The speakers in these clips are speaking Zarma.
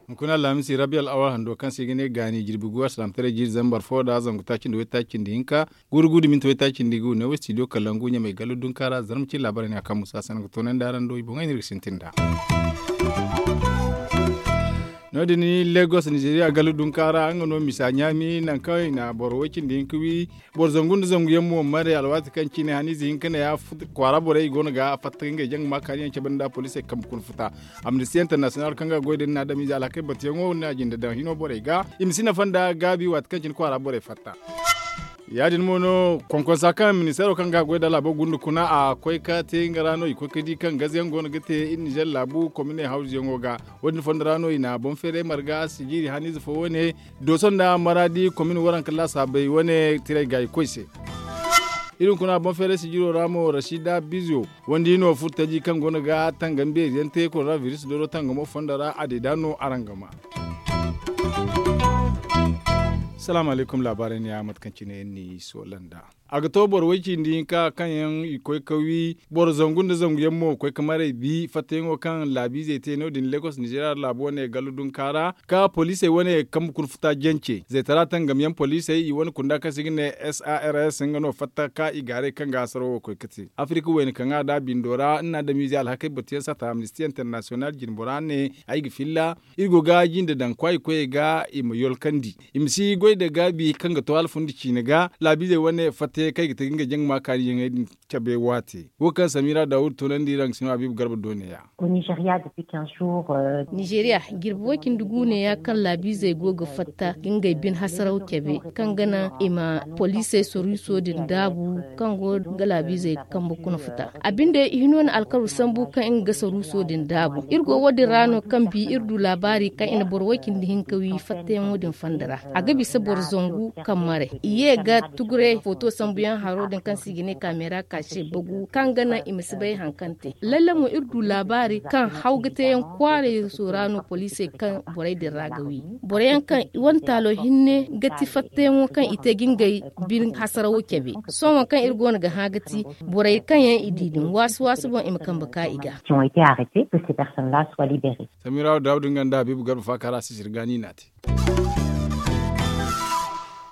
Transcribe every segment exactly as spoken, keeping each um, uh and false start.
Hunkuna alhamisi rabi al'awal hando kaŋ se i ga ne gaani jirbi gu alsilaamataray jiiri zambar fo da zangu taaci nda waytaaci nda hinka, guuru gu da minti waytaaci nda gu ne wo studio kalangu ɲamay gallu dunka ra zarma cine laabaray ne a kaŋ musa sanaŋ ga toonandi araŋ do i boŋey no iri ga sintin nd'a. No- din lagos nizeeriya gallu dunka ra nga no misa ɲaami nangu kaŋ i na boro way cindi hinka wi. Boro zangu nda zangu yaŋ mo mare alwaati kaŋ cine haniize hinka ne ya kwaara borey i go no ga fatta ngey jaŋ ga ma kaani yaŋ cabe nda poliisey kambe kuna futa. Amnisti international kaŋ ga goy din na adamize alhakey batuyaŋo na jinde daŋ hino borey ga i ma si nafa nda gaabi waati kaŋ cine kwaara borey fatta. Ya- din mo no konkonsa kaŋ ministeero kaŋ ga goy da laabo gunda kuna a koy ka te nga ra no i koy ka di kaŋ gaze yaŋ go no ga te iri nizer laabu komine hawzu yaŋo ga. Wo- din fondo ra no i na boŋ feeray marga sijiiri haniize fo wane dooso nda maraadi komine waranka laasaabey wane tiray ga i koy se. Iri hunkuna boŋ feeray sijiiro ra mo rashida bizo wandi no furo taji kaŋ go no ga tangam beeri yaŋ te koronabiris dooro tangamo fondo ra a deeda no araŋ ga ma. Salaamu alaykum laabaarey ne ya mate kaŋ cine yaŋ ni soolanda. A ga to boro way cindi hinka kaŋ yaŋ i koy ka wi boro zangu nda zangu yaŋ mo koy ka maray bi fattayaŋo kaŋ laabiizey te no- din lagos nizeeriya laabo wane gallu dunka ra ka poliisey wane kambe kuna futa jance zaytara tangam yaŋ poliisey i wane kunda kaŋ se i ga ne sars nga no fatta ka i gaaray kaŋ ga hasaro wo koy ka te afirika wayna kaŋ a da bindo ra nna adamize alhakey batuyaŋ sata amnisti international jinbora ne ay ga filla. Iri go ga jinde daŋ kwaayi koyey ga i ma yolkandi i ma si goy nda gaabi kaŋ ga to hala fundi ciine ga laabiizey wane fatta yaŋ kaŋ i ga te ga ngey jaŋ ga ma kaani yaŋey din cabe waate wo kaŋ samira dawuda toonandi iri a ga si no habiibu garba do ne- ya. Nizeeriya jirbi way cindi gu ne- ya kaŋ laabiizey go ga fatta ga ngey bine hasaraw cabe kaŋ ga naŋ i ma poliisey soriiso din daabu kaŋ go ga laabiizey kambe kuna futa. A binde i hino na alkaru sambu kaŋ nga ga saruuso din daabu iri go wo- din ra no kaŋ bi iri du laabaari kaŋ i na boro way cindi hinka wi fattayaŋo din fanda ra. A ga bisa boro zangu kaŋ maray i ye ga tuguray footo sambuyaŋ haro din kaŋ se i ga ne kameera kaase bagu kaŋ ga naŋ i ma si bay hari kaŋ te lalle mo iri du laabaari kaŋ haw ga teyaŋ kwaaray soora no poliisey kaŋ borey din ra ga wi. Boro yaŋ kaŋ i wane taalo hinne ga ti fattayaŋo kaŋ i te ga ngey bine hasarawo cabe. Sohõ kaŋ iri go no ga hã ga ti borey kaŋ yaŋ i di din waasi waasi boŋ i ma kambe ka i ga. Samira dawuda nga nda habiibu garba faaka ra sisiri gaani i n'a te.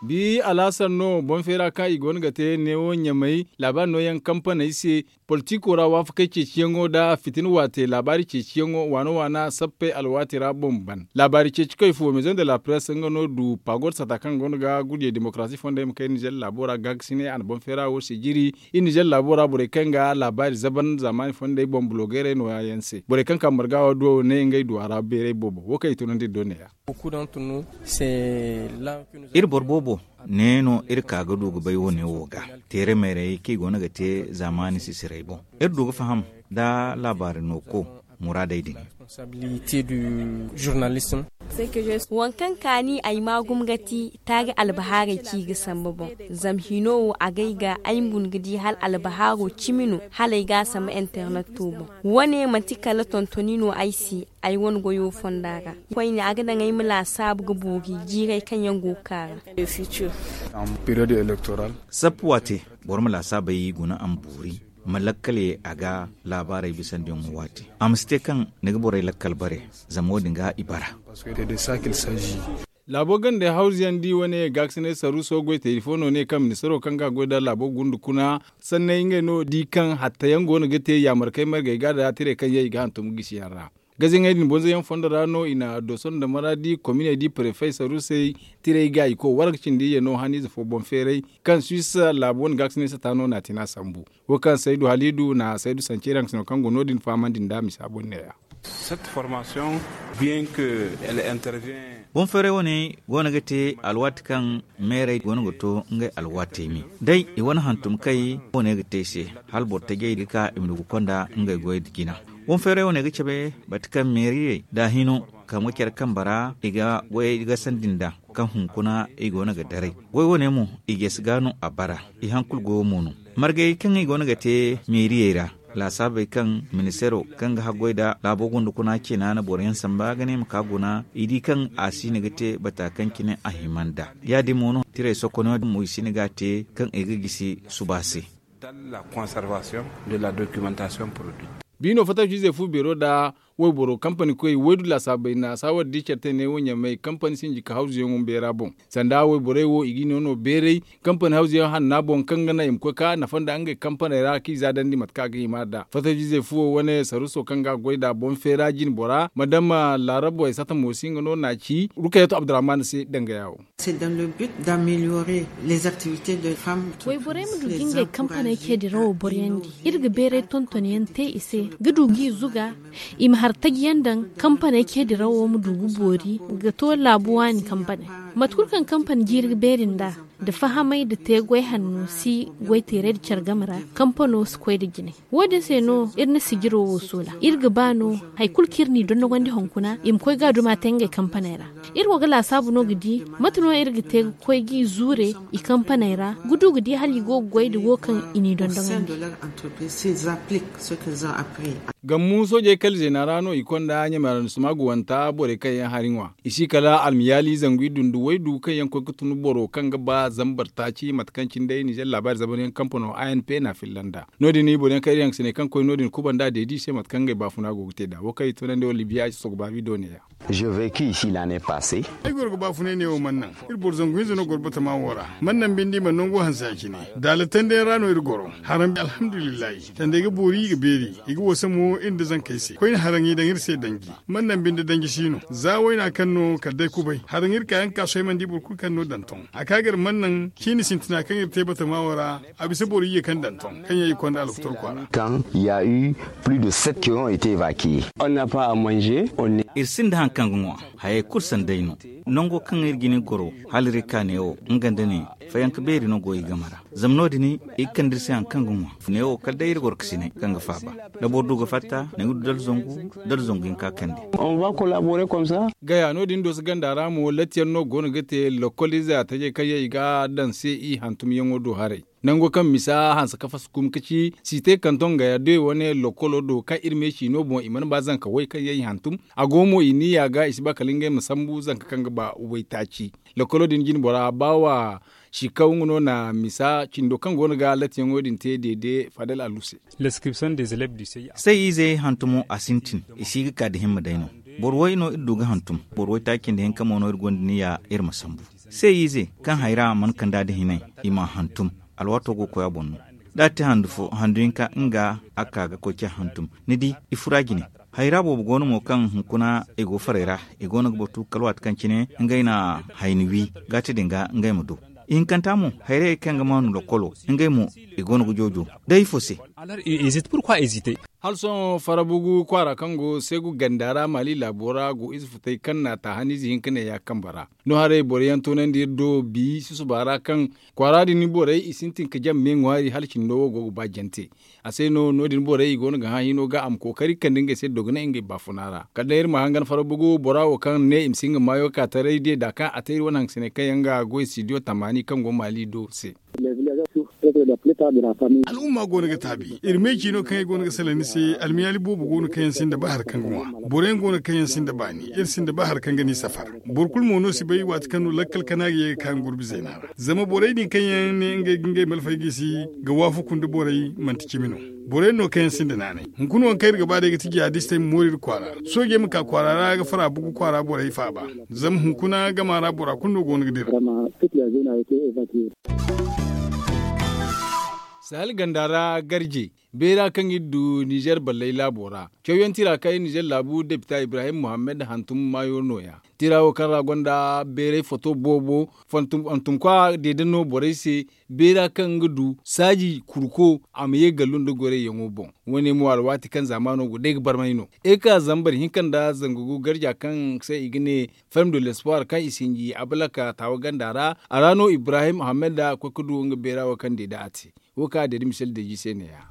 Bi alhasar no boŋ feera kaŋ i go no ga te neewo ɲamay laabaari nooyaŋ kampaney se. Politiko ra waafakey ceeciyaŋo nda fitina waate laabaari ceeciyaŋo waana waana sappey alwaati ra boŋ ban laabaari ceeci koy fo maison de la presse nga no du pagod sata kaŋ go no ga gudiyey demokarasi fondey ma kay nizer laabo ra gaagasiney a na boŋ feera wo se jiri. Iri nizer laabo ra borey kaŋ ga laabaari zaban zaamaani fondey boŋ bulogeerey nooya yaŋ se borey kaŋ ka marga wo do ne ngey duwa ra beeray boobo wo kaŋ i tunandi iri do neeya. Iri boro boobo ne no iri ka ga du ga bay wo- ne wo ga teere mayray kaŋ i go no ga te zaamaani sisiray boŋ. Iri du ga faham nda laabaari nooko muraadey din. Waŋ kaŋ kaani ay ma gumo ga ti taari albahaarey kaŋ i ga samba boŋ. Zama hino wo a gay ga ay ma guna ga di hala albahaaro cimi no hala ay ga a samba internet to boŋ. Wo- ne manti kala tontoni no ay se. Ay wane goyo fonda ra koyne a ga daŋ ay ma laasaabu ga boori jiirey kaŋ yaŋ go ga ka ra. Sappu waate boro ma laasaabey guna a ma boori ma lakkal ye a ga laabaarey bisandiyaŋo waate. A ma si te kaŋ ni ga borey lakkal bare zama wo- din ga i bara. Laabo gandey hawzuyaŋ di wane gaakasinay saruuso goy te ifo no ne kaŋ ministaro kaŋ ga goy nda laabo gunda kuna sanney ngey no di kaŋ hattayaŋ go no ga te yaamarkey margey ga nda tirey kaŋ yaŋ i ga hantum gisiyaŋ ra. Gaziyaŋey din bonzoyaŋ fondo ra no i na doso nda maraadi kominey di prefey saruusey tirey ga i koy warga cindi iyye no haniize fo boŋ feeray kaŋ suwis laabo wane gaakasinay sata no n'a te n'a sambu. Wo kaŋ saydu haliidu na saydu sanceeriyaŋ sino kaŋ go no- din fahamandi nd'a misa boŋ neeya. Boŋ feeray wane go no ga te alwaati kaŋ meerey go no ga to ngey alwaatey me day i wane hantum kay wane ga te ay se hala boro tajey ga ka i ma du ga konda ngey goyey da jina. Boŋ feeray wane ga cabe mate kaŋ meeriyey da hino kaŋ ga care kambe ra i ga goyey gasandi nd'a kaŋ hunkuna i go no ga daray. Goy wane mo i jeesi ga no a bara i hankulu goyo mo no. Margey kaŋ i go no ga te meeriyey ra Laasaabey kaŋ ministeero kaŋ ga haggoy nda laabo gunda kuna ceena na boro yaŋ samba ga ne ma ka guna i di kaŋ a si no ga te bata kaŋ cine a hima nd'a. Ya- din mo no tirey sokoney mo i si no ga a te kaŋ i ga gisi suba se. Biino fattaciizey fu beero nda wayboro kampani koy waydu laasaabey na saawar di care te ne wo ɲamey kampani sinji ka hawzuyaŋo beera boŋ. Sanda wayborey wo i ga i no no beeray kampani hawzuyaŋ hanna boŋ kaŋ ga naŋ i ma koy ka nafa nda ngey kampaney ra kaŋ i za dandi mate kaŋ a ga hima nd'a fattaciizey fu wo wane saruso kaŋ ga a goy nd'a boŋ feera jine bora madama laarabo ay sata mo si nga no n'a ci rukayatu abdurrahman se danga yaawo. Wayborey ma du ga ngey kampaney ce dirawo boryandi. Iri ga beeray tonton yaŋ te i se ga du g'i zuga i ma har taji yaŋ daŋ kampaney ce dirawo ma du ga boori ga to laabu waani kampaney. Mate kulu kaŋ kampani jiiri ga beeri nd'a nda fahamay nda te goy hanno si goy teeray nda care game ra kampano si koy nda jine. Wo- din se no iri na sijiro wo soola iri ga ba no hari kulu kaŋ iri n'i dondogandi hunkuna i ma koy ga a duma te ngey kampaney ra. Iri wo ga laasaabu no ga di mate no iri ga te ga koy g'i zuure i kampaney ra ga du ga di hala i go ga goy nda wo kaŋ i n'i dondogandi. Gammu soojey kala zeena ra no i konda ɲamey ra nda suma ga wanta borey kaŋ yaŋ hari ŋwa i si kala almiyaali zangu iddu nda waydu kaŋ yaŋ koy ga tun boro kaŋ ga ba zambar taaci mate kaŋ cine day ninzeer laabaari zabaryaŋ kampano a n p na filla nd'a. No- din boro yaŋ kaŋ iri hangasiney kaŋ koy no- din kubanda deedi i se mate kaŋ ngey baafuna go ga te nd'a wo kaŋ i tunandi wala libiya a si sogo baabi do neeya. Ay goro ga baafunay neewo mana naŋ iri boro zangu hinza no goro batama wo ra. Mana naŋ binde i mana nango hanse ya- cine daala tandiyaŋ ra no iri goro. Haraŋ alhamdulillahi tandey ga boori i ga beeri i ga wasa mo iri nda zankey se koyne haraŋ i daŋ iri se danji. Mana naŋ binde danji si no za wayna kaŋ no kala day kubay haraŋ iri ka yaŋ ga ka sohõ ay mana di boro kulu kaŋ no danton a ka ga iri mana naŋ ciini sintina kaŋ iri te batama wo ra. A bisa boro iyye kaŋ danton kaŋ yaŋ i konda alkutor kwaara. Kan ya u plus de sept qui ont été évacués. Iri sinda haŋ kaŋ ga ŋwa hayey kulu sanday no. Nango kaŋ iri ga ni goro hala iri ka neewo nga nda ne fayanka beeri no go i game ra. Zama no- din i ga kande iri se haŋ kaŋ ga ŋwa neewo kala day iri goro ga sinay kaŋ ga faaba. Da boro du ga fatta ni ga du dala zangu dala zangu hinka kande. Gaya no- din doso ganda ra mo latiyaŋ no go no ga te lokolize a tajey kaŋ yaŋ i ga daŋ se i hantumyaŋo do haray. Nango kaŋ misa hanse ka fasu kum ka ci si te kanton gaya de wane lokolo do kaŋ iri me ciino boŋ i mana ba zanka way kaŋ yaŋ i hantum. A go mo i niya ga i si ba kala ngey ma sambu zanka kaŋ ga ba waytaaci. Lokolo din jine bora ba wa sikaw nga no na misa cindo kaŋ go no ga latiyaŋo din te deede fadal alu se. Say ize hantumo a sintin i si ga ka da himma day no. Boro way no iri du ga hantum. Boro waytaaci nda hinka mo no iri gonda niya iri ma sambu. Say ize kaŋ hayra mana kanda da hinay i ma hantum. Alwaato go ga koy a boŋ no. Da a te handu fo handu hinka nga a ka ga koy ce hantum. Ni di i fura jine. Hayra boobo go no mo kaŋ hunkuna i go faray ra i go no ga batu kala waati kaŋ cine ngey na hayni wi gaati din ga ngey ma du. Ihinkanta mo hayrayey kaŋ ga maanu lokolo ngey mo i go no ga joojo. Day ifo se? Hala sohõ farabugu kwaara kaŋ go segu ganda ra maali laabo ra go ize futay kaŋ na taahaniize hinka ne ya kambe ra. No haray boro yaŋ toonandi iri do bi susuba ra kaŋ kwaara din borey i sintin ka jaŋ me ŋwaari hala cindo wo go ga ba jante. A se no no- din borey i go no ga hã hino ga a ma kookari kande ngey se dogonay ngey baafuna ra kala day iri ma hangan farabugu bora wo kaŋ ne i ma si nga maayo ka taray de da kaŋ a te iri wane hangasiney kaŋ yaŋ ga goy studio tamaani kaŋ go maali do se. Al'umma go no ga taabi iri me ciino kaŋ ay go no ga salaŋ ni se. Almiyaali boobo go no kaŋ yaŋ sinda ba hari kaŋ ga ŋwa. Boro yaŋ go no kaŋ yaŋ sinda baani iri sinda ba hari kaŋ ga ni safar. Boro kulu mo no si bay waati kaŋ no lakkal kana ga ye ga ka nga gurbi zeena ra zama borey din kaŋ yaŋ ne ngey ga ngey malfay gisi ga waafaku nda borey manti cimi no. Borey no kaŋ yaŋ sinda naanay hunkuna waŋ kaŋ iri ga ba day ga ti jihadistey ma moori iri kwaara. Soojey ma ka kwaara ra ga fara bugu kwaara borey faaba. Zama hunkuna gama ra bora kulu no go no ga dira. Sahel ganda ra garje beera kaŋ iri du nizer balley laabo ra cawyaŋ tira kaŋ iri nizer laabu depita ibrahim muhammad hantum maayo nooya. Tira wo kaŋ ra gonda beeray foto boobo hantumkwa deede no borey se. Beera kaŋ ga du saaji kurko a ma ye gallu nda gorayyaŋo boŋ. Wo- ne mo alwaati kaŋ zaamaano go day ga barmay no. Iri ka zambar hinka nda zangu gu garja kaŋ se i ga ne ferme de l'espoir kaŋ i sinji abalaka taawa ganda ra. A ra no ibrahim ahammed a koy ga du nga beera wo kaŋ deede a te. Wo kaŋ a deede misel deeji se neeya.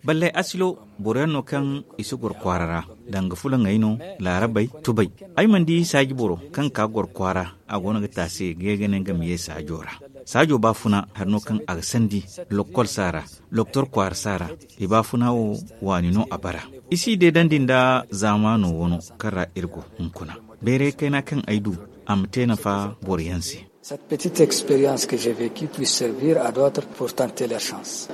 Balley asilo boro yaŋ no kaŋ i si goro kwaara ra. Danga fulaŋey no, laarabey, tubey. Ay mana di saaji boro kaŋ ga ka goro kwaara a go no ga taasi ga ye ga ne nga ma ye saajo ra. Saajo baafuna hari no kaŋ a ga sandi lokkol saara, doktor kwaara saara. I baafuna wo waani no a bara. I si deedandi nda zaamaano wano kaŋ ra iri go hunkuna. Bayray kayna kaŋ ay du, a ma te nafa boro yaŋ se. Cette petite expérience que j'ai vécue puisse servir à d'autres pour tenter leur chance.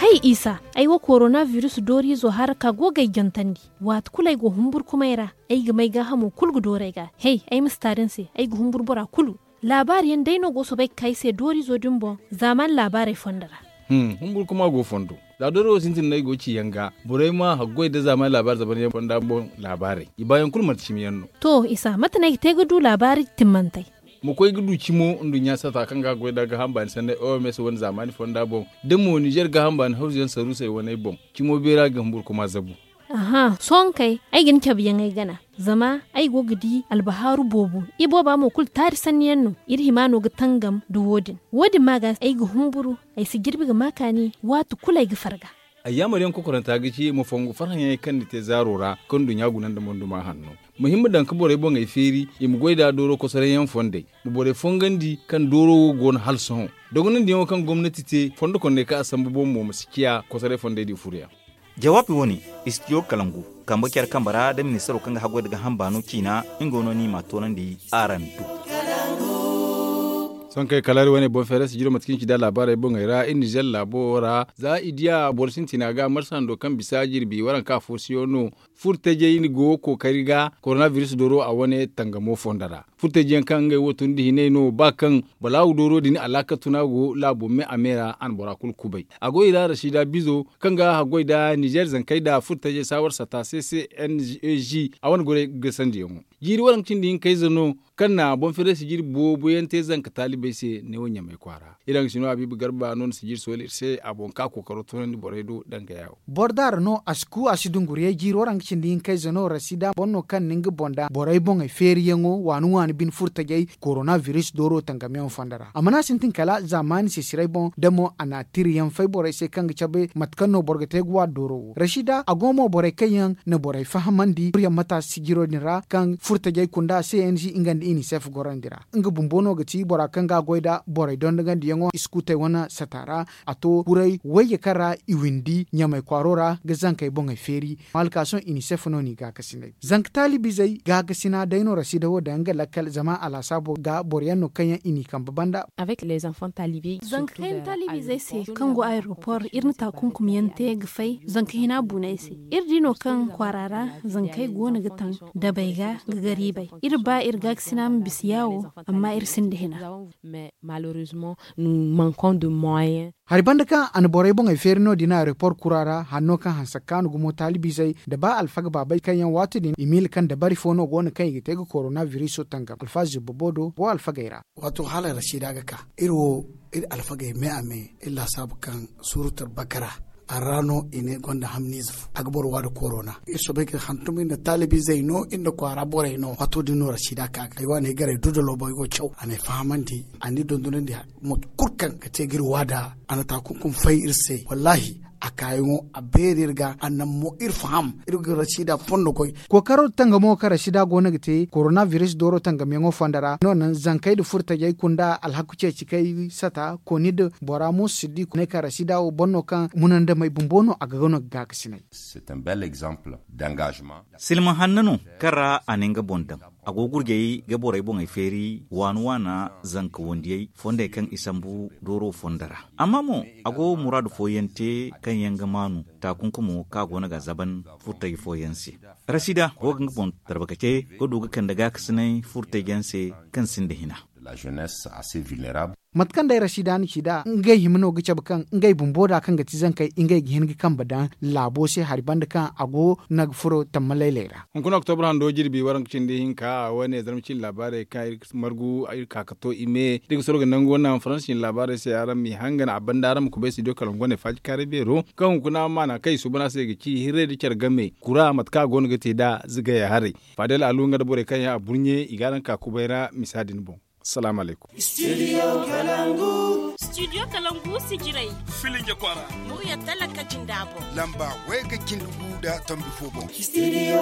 Hay isa, ay wo korona virus dooriizo hara ka go ga ay jantandi. Waati kulu ay go humburkumay ra, ay ga may gaahamo kulu ga dooru ay ga. Hey, ay ma si taari ni se, ay ga humburu bora kulu. Laabaari yaŋ day no go soobay ga ka ay se dooriizo din boŋ. Zaaman laabaarey fondo ra. Humburkuma go fondo. Za dooro wo sintin no ay go ga ci yaŋ ga, borey ma haggoy nda zaaman laabaari zaban yaŋ fonda boŋ laabaarey, i baayaŋ kulu manti cimi yaŋ no. To isa, mate no ay ga te ga du laabaari timmantey? Ma koy ga du cimo nduɲɲa sata kaŋ ga goy nda gaaham baani sanney oms wane zaamaani fonda boŋ, da mo nizer gaaham baani hawzu yaŋ saruusey waney boŋ, cimo beera ga humburkuma zabu. Aha, sohõ kay, ay ga ni cabe yaŋ ay gana. Zama ay go ga di albahaaru boobo. Ibooba mo kulu taari sanni yaŋ no. Iri hima no ga tangam nda wo- din. Wo- din ma ga ay ga humburu, ay si jirbi ga ma kaani. Waati kulu ay ga farga. Ay yaamar yaŋ kokoranta ga ci ma fongu farhã yaŋey kaŋ ni te zaaro ra, kaŋ nduɲɲa guna nda monduma hanno. Ma hima daŋ ga borey boŋey feeri, i ma goy nda dooro kosoray yaŋ fondey. Ma borey fongandi kaŋ dooro wo go no hala sohõ. Dogonandi yaŋo kaŋ gomnati te fondo kondey kaŋ a sambu boŋ mo ma si ciya kosoray fondey di furu yaŋ. Jawaabi wo- ne, istidiyo kalangu kambe care kambe ra da ministaro kaŋ ga haggoy nda gaaham baano ciina. Nga no ni ma a toonandi araŋ do. Sohõ kay kala iri wane boŋ feera sijiro mate kaŋ i ci da laabaarey boŋey ra iri nizer laabo ra za i diya boro sintina ga marsa hando kaŋ bisa jirbi waranka fo siyo no. Furtajey ni go kookari ga koronabiris dooro a wane tangamo fondo ra. Furtajey yaŋ kaŋ ngey wo tun nda hinay no ba kaŋ balaawu dooro din alaakatu no a go laabo me a me ra a na bora kulu kubay. A go i ra rasida bizo kaŋ ga haggoy nda nizer zankey nda furtajey saawar sata se se n g a wane goray gasandiyaŋo. Jiiri waranka cindi hinkayze no kaŋ na boŋ feeray sijiri boobo yaŋ te zanka taalibey se neewo ɲamay kwaara. Iri haŋ ga si no habiibu garba no ni sijiri sooli iri se a boŋ ka kookaro toonandi borey do danga yaawo. Boro daara no a si ku a si dunguriyay jiiri waranka cindi hinkayze no rasida boŋ no kaŋ na nga boŋ da borey boŋey feeriyaŋo waani waani bine furtajey koronabiris dooro tangamyaŋo fondo ra a mana sintin kala zaamaani sisiray boŋ da mo a na tiriyaŋ fay borey se kaŋ ga cabe mate kaŋ no boro ga te ga waani dooro wo rasida a go mo borey kaŋ yaŋ na borey fahamandi furyaŋ mata sijiro din ra kaŋ furtajey kunda se yaŋ si nga nda inisef gorandi ra. Nga bumbo no ga ti bora kaŋ ga a goy nda borey dondogandiyaŋo iskuutey wane sata ra. A to kuray wayye kaŋ ra i windi ɲamay kwaaro ra ga zankey boŋey feeri. Maali ka sohõ inisef no n'i gaakasinay zanka taalibizey gaakasina day no rasida wo daŋ nga lakkal zama a laasaabo ga boro yaŋ no kaŋ yaŋ i n'i kambe banda. Zanka kaŋ yaŋ taalibizey se kaŋ go ayeropor iri na taakunkumyaŋ te ga fay zanka hina buunay se. Iri di no kaŋ kwaara ra zankey goono ga taŋ dabey ga ga gariibay. Iri ba iri gaakasina ma bisa yaawo amma iri sinda hina. Hari banda kaŋ a na borey boŋey feeri no-din ayeropor kura ra hanno kaŋ hanse ga kaanu gumo taalibizey nda ba alfaga baabey kaŋ yaŋ waati din i miila kaŋ dabari fo no go no kaŋ i ga te ga koronabiris tangam alfaazi boobo do go alfagey ra. Waato hala rasida ga ka iri wo iri alfagey me a me iri laasaabu kaŋ surutar bakara a ra no i ne gonda hamniize fo a ga boro waada korona. Iri soobay ga hantum iri nda taalibizey no iri nda kwaara borey no waato din no rasida ka ga ay waane garay dudalo boŋ ay go caw a na ay fahamandi a n'i dondonandi mate kulu kaŋ ga te ga iri waada a na taakunkum fay iri se wallaahi. A kaayaŋo a beeri iri ga a naŋ mo iri faham iri ga rasida fondo goy. Kookaro tangamo kaŋ rasida go no ga te koronabiris dooro tangamyaŋo fondo ra no naŋ zankey nda furtajey kunda alhaku ceeci kay sata kooni nda bora mo si di ne kaŋ rasida wo boŋ no kaŋ munandamey bumbo no a ga no ga gaakasinay. Silma hanno no kaŋ ra a na nga boŋ daŋ. A go ga gurjey ga borey boŋey feeri waani waana zanka wandiyey fondey kaŋ i sambu dooro fondo ra. Amma mo a go muraadu fooyaŋ te kaŋ yaŋ ga maanu taakunkumo kaŋ a go no ga a zaban furtaji fooyaŋ se. Rasida go ga nga boŋ tarbakace ga du ga kande gaakasinay furtaji yaŋ se kaŋ sinda hina. Mate kaŋ day rasida na ci nd'a ngey hima no ga cabe kaŋ ngey bumbo da kaŋ ga ti zankey ngey ga hin ga kambe daŋ laabo se hari banda kaŋ a go no ga furo tamma laylay ra. Hunkuna oktobra hando jirbi waranka cindi hinka a wane zarma cindi laabaarey kaŋ iri ga margu iri ka ga to i me da iri ga soro ga nangu wane naŋ faransa cindi laabaarey se araŋ m'i hangan a banda araŋ ma kubay studio kalangu wane faaji kaaray beero kaŋ hunkuna maana kaŋ i suuban a se ga ci hirray nda care game kura mate kaŋ a go no ga te nd'a zigaya haray. Faadel alu nga nda borey kaŋ yaŋ a burɲe i ga araŋ ka kubay ra misa din boŋ. Salaamu alaykum. Studio kalangu. Studio kalangu sijirey. Filinja kwaara. Murya talaka jinda boŋ. Lamba wayga cindi gu nda tombi fo boŋ. Studio.